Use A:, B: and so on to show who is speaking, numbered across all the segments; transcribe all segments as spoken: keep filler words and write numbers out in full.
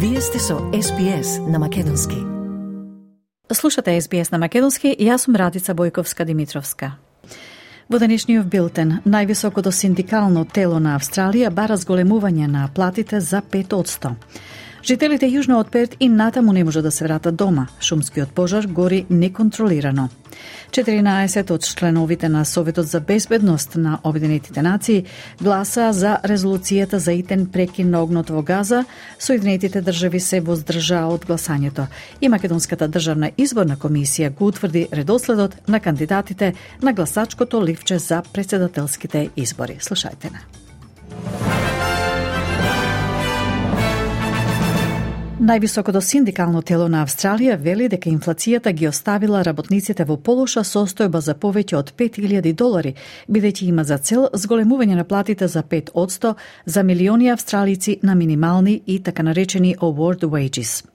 A: Вие сте со Ес Би Ес на Македонски.
B: Слушате Ес Би Ес на Македонски и јас сум Радица Бојковска-Димитровска. Во денешниот билтен, највисокото синдикално тело на Австралија бара зголемување на платите за пет одсто. Жителите јужно од Перт и натаму не може да се вратат дома. Шумскиот пожар гори неконтролирано. четиринаесет од членовите на Советот за безбедност на Обединетите нации гласа за резолуцијата за итен прекин на огнот во Газа. Соединетите држави се воздржаа од гласањето. И Македонската државна изборна комисија го утврди редоследот на кандидатите на гласачкото ливче за претседателските избори. Слушајте на. Највисокото синдикално тело на Австралија вели дека инфлацијата ги оставила работниците во полоша состојба за повеќе од пет илјади долари, бидејќи има за цел зголемување на платите за пет одсто за милиони австралици на минимални и така наречени award wages.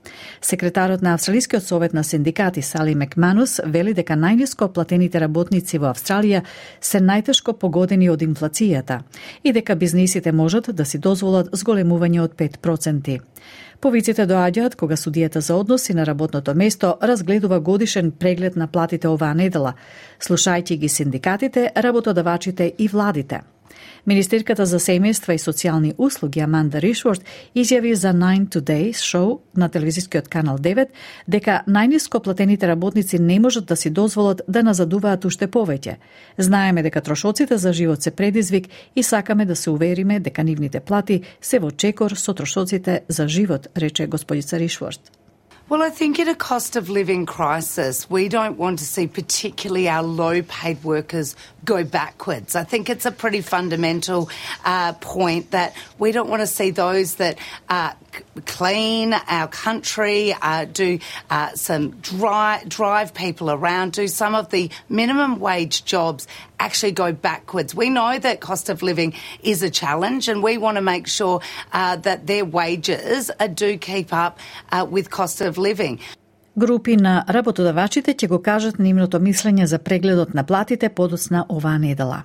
B: Секретарот на Австралискиот совет на синдикати Сали Макманус вели дека најниско платените работници во Австралија се најтешко погодени од инфлацијата и дека бизнисите можат да си дозволат зголемување од пет проценти. Повиците доаѓаат кога судијата за односи на работното место разгледува годишен преглед на платите оваа недела, слушајќи ги синдикатите, работодавачите и владите. Министерката за семејства и социјални услуги Аманда Ришворт изјави за Nine Today шоу на телевизискиот канал девет дека најниско платените работници не можат да си дозволат да назадуваат уште повеќе. Знаеме дека трошоците за живот се предизвик и сакаме да се увериме дека нивните плати се во чекор со трошоците за живот, рече господица Ришворт.
C: Well, I think in a cost of living crisis, we don't want to see particularly our low-paid workers go backwards. I think it's a pretty fundamental uh, point that we don't want to see those that uh, clean our country, uh, do uh, some dri- drive people around, do some of the minimum wage jobs actually go backwards. We know that cost of living is a challenge and we want to make sure uh, that their wages uh, do keep up uh, with cost of living.
B: Групи на работодавачите ќе го кажат нивното мислење за прегледот на платите подоцна оваа недела.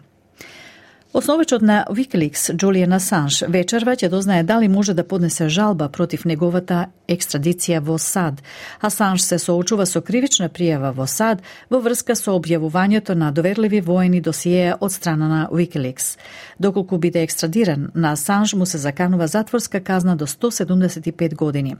B: Основачот на Wikileaks, Джулијан Асанж, вечерва ќе дознае дали може да поднесе жалба против неговата екстрадиција во САД. Асанж се соочува со кривична пријава во САД во врска со објавувањето на доверливи воени досиеја од страна на Wikileaks. Доколку биде екстрадиран, на Асанж му се заканува затворска казна до сто седумдесет и пет години.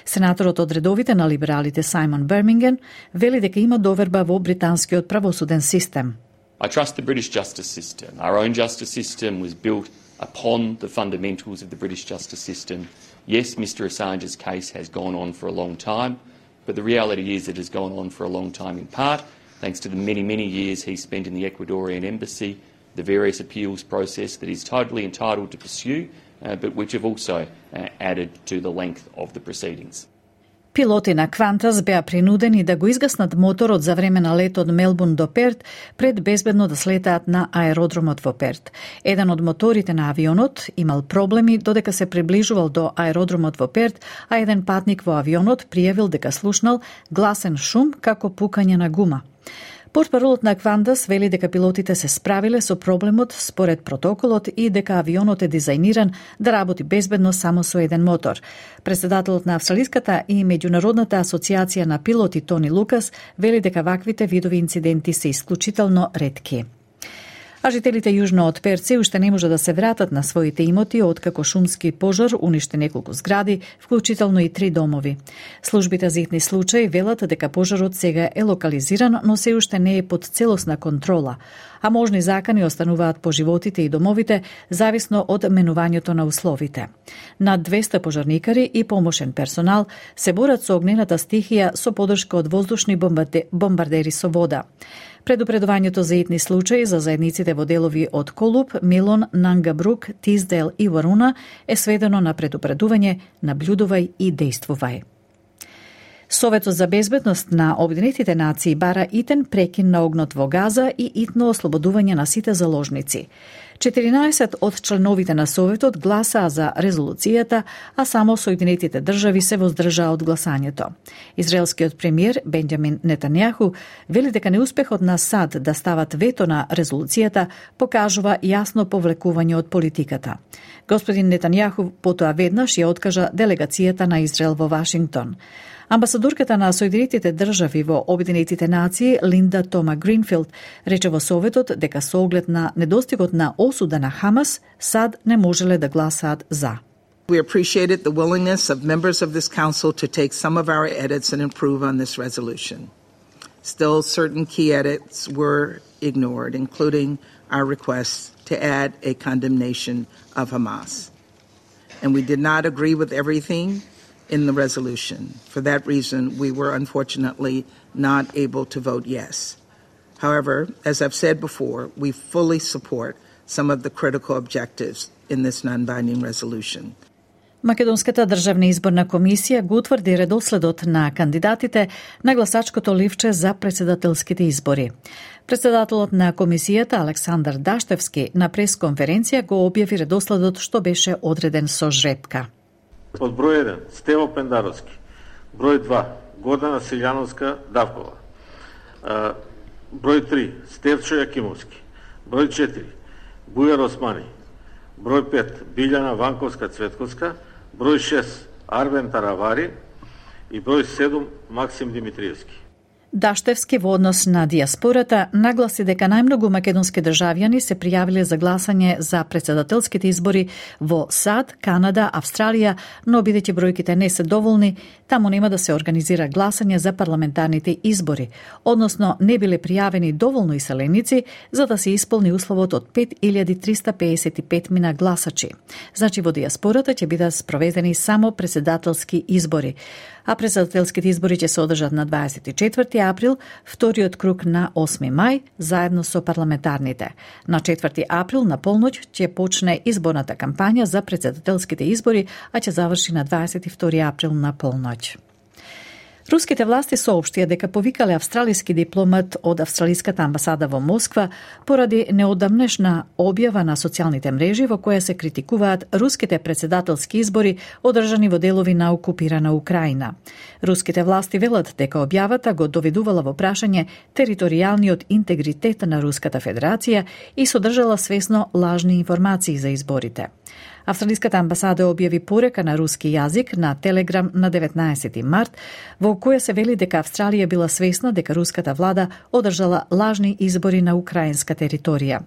B: Сенаторот од редовите на либералите Саймон Берминген вели дека има доверба во британскиот правосуден систем.
D: I trust the British justice system. Our own justice system was built upon the fundamentals of the British justice system. Yes, Mister Assange's case has gone on for a long time, but the reality is it has gone on for a long time in part thanks to the many, many years he spent in the Ecuadorian embassy, the various appeals process that he's totally entitled to pursue, uh, but which have also uh, added to the length of the proceedings.
B: Пилоти на Qantas беа принудени да го изгаснат моторот за време на лет од Мелбурн до Перт пред безбедно да слетаат на аеродромот во Перт. Еден од моторите на авионот имал проблеми додека се приближувал до аеродромот во Перт, а еден патник во авионот пријавил дека слушнал гласен шум како пукање на гума. Портпаролот на Qantas вели дека пилотите се справиле со проблемот според протоколот и дека авионот е дизајниран да работи безбедно само со еден мотор. Председателот на Австралиската и Меѓународната асоциација на пилоти Тони Лукас вели дека ваквите видови инциденти се исклучително ретки. А жителите јужно од Перт се уште не може да се вратат на своите имоти откако шумски пожар уништи неколку згради, вклучително и три домови. Службите за итни случаи велат дека пожарот сега е локализиран, но се уште не е под целосна контрола, а можни закани остануваат по животите и домовите, зависно од менувањето на условите. Над двесте пожарникари и помошен персонал се борат со огнената стихија со поддршка од воздушни бомбардери со вода. Предупредувањето за итни случаи за заедниците во делови од Колуп, Милон, Нангабрук, Тиздейл и Варуна е сведено на предупредување, наблюдувај и дејствувај. Советот за безбедност на Обединетите нации бара итен прекин на огнот во Газа и итно ослободување на сите заложници. четиринаесет од членовите на Советот гласаа за резолуцијата, а само Соединетите држави се воздржаа од гласањето. Израелскиот премиер Бенџамин Нетањаху вели дека неуспехот на САД да стават вето на резолуцијата покажува јасно повлекување од политиката. Господин Нетањаху потоа веднаш ја откажа делегацијата на Израел во Вашингтон. Амбасадорката на Соединетите држави во Обединетите нации Линда Тома Гринфилд рече во Советот дека со оглед на недостигот на осуда на Хамас, САД не можеле да гласаат за.
E: We appreciated the willingness of members of this council to take some of our edits and improve on this resolution. Still, certain key edits were ignored, including our request to add a condemnation of Hamas. And we did not agree with everything in the resolution. For that reason, we were unfortunately not able to vote yes. However, as I've said before, we fully support some of the critical objectives in this non-binding resolution.
B: Македонската државна изборна комисија го утврди редоследот на кандидатите на гласачкото ливче за председателските избори. Председателот на комисијата Александар Даштевски на пресконференција го објави редоследот што беше одреден со жребка.
F: Од број еден Стево Пендаровски, број два Гордана Силјановска Давкова, број три Стевчо Јакимовски, број четири Бујар Османи, број пет Билјана Ванковска Цветковска, број шест Арвен Таравари и број седум Максим Димитриевски.
B: Даштевски во однос на диаспората нагласи дека најмногу македонски државјани се пријавиле за гласање за председателските избори во САД, Канада, Австралија, но бидејќи бројките не се доволни, таму нема да се организира гласање за парламентарните избори, односно не биле пријавени доволно иселеници за да се исполни условот од пет илјади триста пеесет и пет мина гласачи. Значи во диаспората ќе бидат спроведени само председателски избори, а председателските избори ќе се одржат на дваесет и четврти април, вториот круг на осми мај, заедно со парламентарните. На четврти април на полноќ ќе почне изборната кампања за председателските избори, а ќе заврши на дваесет и втори април на полноќ. Руските власти соопштија дека повикале австралиски дипломат од австралиската амбасада во Москва поради неодамнешна објава на социјалните мрежи во која се критикуваат руските председателски избори одржани во делови на окупирана Украина. Руските власти велат дека објавата го доведувала во прашање територијалниот интегритет на Руската Федерација и содржала свесно лажни информации за изборите. Австралиската амбасада објави порека на руски јазик на Телеграм на деветнаесети март, во која се вели дека Австралија била свесна дека руската влада одржала лажни избори на украинска територија.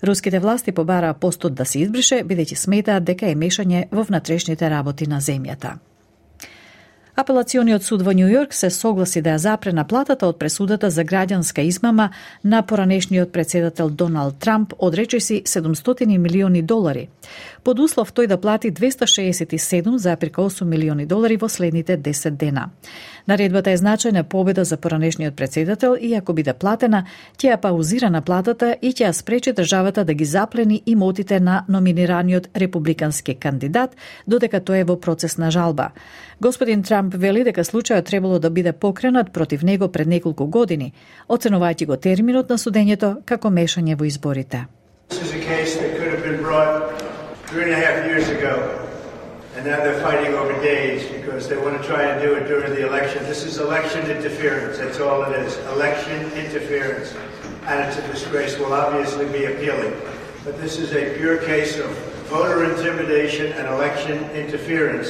B: Руските власти побараа постот да се избрише, бидејќи сметаат дека е мешање во внатрешните работи на земјата. Апелациониот суд во Њу Јорк се согласи да ја запре наплатата од пресудата за граѓанска измама на поранешниот председател Доналд Трамп, одречеси седумстотини милиони долари, под услов тој да плати двеста шеесет и седум зарез осум милиони долари во следните десет дена. Наредбата е значајна победа за поранешниот председател и ако биде платена, ќе ја паузира наплатата и ќе ја спречи државата да ги заплени имотите на номинираниот републикански кандидат, додека тој е во процес на жалба. Господин Трамп вели дека случајот требало да биде покренат против него пред неколку години, оценувајќи го терминот на судењето како мешање во изборите.
G: Three and a half years ago, and now they're fighting over days because they want to try and do it during the election. This is election interference, that's all it is, election interference, and it's a disgrace. We'll obviously be appealing, but this is a pure case of voter intimidation and election interference,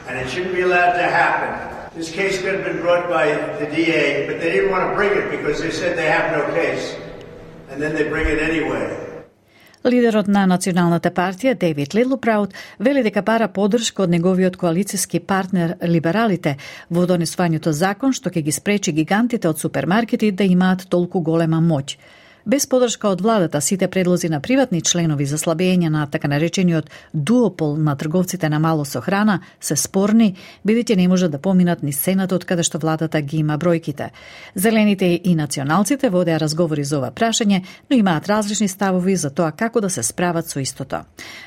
G: and it shouldn't be allowed to happen. This case could have been brought by the D A, but they didn't want to bring it because they said they have no case, and then they bring it anyway.
B: Лидерот на Националната партија, Дейвид Литлпраут, вели дека бара поддршка од неговиот коалициски партнер либералите во донесувањето закон што ќе ги спречи гигантите од супермаркети да имаат толку голема моќ. Без подршка од владата, сите предлози на приватни членови за слабење на така наречениот дуопол на трговците на мало со храна се спорни, бидејќи не можат да поминат низ Сенатот каде што владата ги има бројките. Зелените и националците водеа разговори за ова прашање, но имаат различни ставови за тоа како да се справат со истото.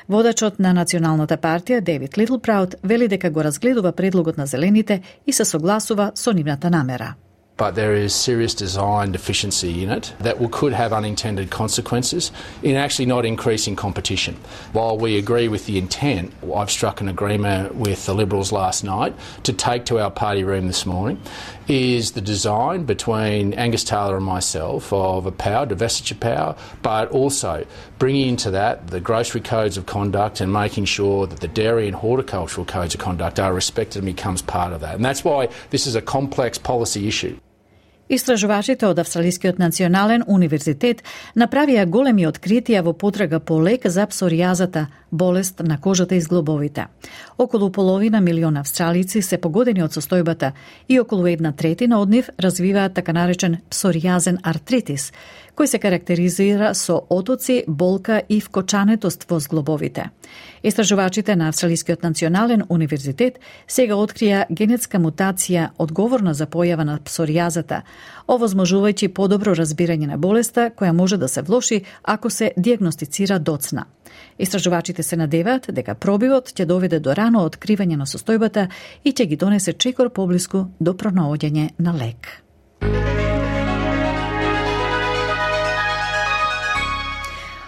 B: Водачот на Националната партија Дейвид Литлпраут вели дека го разгледува предлогот на Зелените и се согласува со нивната намера.
H: But there is serious design deficiency in it that will, could have unintended consequences in actually not increasing competition. While we agree with the intent, I've struck an agreement with the Liberals last night to take to our party room this morning is the design between Angus Taylor and myself of a power, divestiture power, but also bringing into that the grocery codes of conduct and making sure that the dairy and horticultural codes of conduct are respected and becomes part of that. And that's why this is a complex policy issue.
B: Истражувачите од Австралискиот национален универзитет направија големи откритија во потрага по лек за псоријазата, болест на кожата и зглобовите. Околу половина милион австралици се погодени од состојбата и околу една третина од нив развиваат така наречен псоријазен артритис, кој се карактеризира со отоци, болка и вкочанетост во зглобовите. Истражувачите на Австралискиот национален универзитет сега открија генетска мутација одговорна за појава на псоријазата, овозможувајќи подобро разбирање на болеста која може да се влоши ако се дијагностицира доцна. Истражувачите се надеваат дека пробивот ќе доведе до рано откривање на состојбата и ќе ги донесе чекор поблиску до пронаоѓање на лек.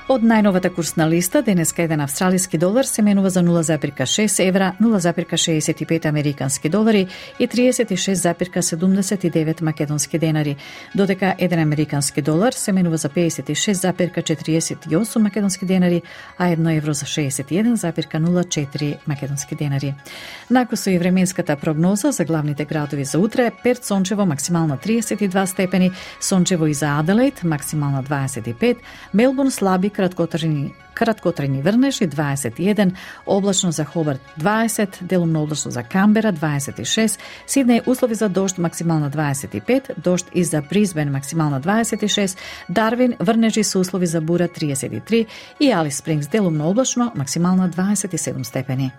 B: Од најновата курсна листа, денеска еден австралиски долар се менува за нула зарез шест евра, нула зарез шеесет и пет американски долари и триесет и шест зарез седумдесет и девет македонски денари, додека еден американски долар се менува за пеесет и шест зарез четириесет и осум македонски денари, а едно евро за шеесет и еден зарез нула четири македонски денари. Накусо и временската прогноза за главните градови за утре: Перт сончево, максимална триесет и два степени, сончево и за Аделаид, максимална дваесет и пет, Мелбурн слаби краткотрајни краткотрајни врнежи дваесет и еден, облачно за Хобарт дваесет, делумно облачно за Камбера дваесет и шест, Сиднеј услови за дожд, максимална дваесет и пет, дожд и за Бризбен, максимална дваесет и шест, Дарвин врнежи со услови за бура триесет и три и Алис Спрингс делумно облачно, максимална дваесет и седум степени.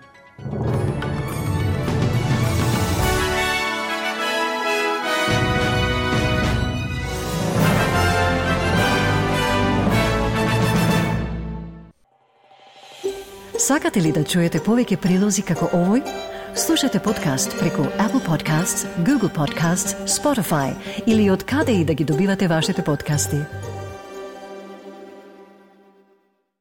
A: Сакате ли да чуете повеќе прилози како овој? Слушате подкаст преку Apple Podcasts, Google Podcasts, Spotify или од каде и да ги добивате вашите подкасти.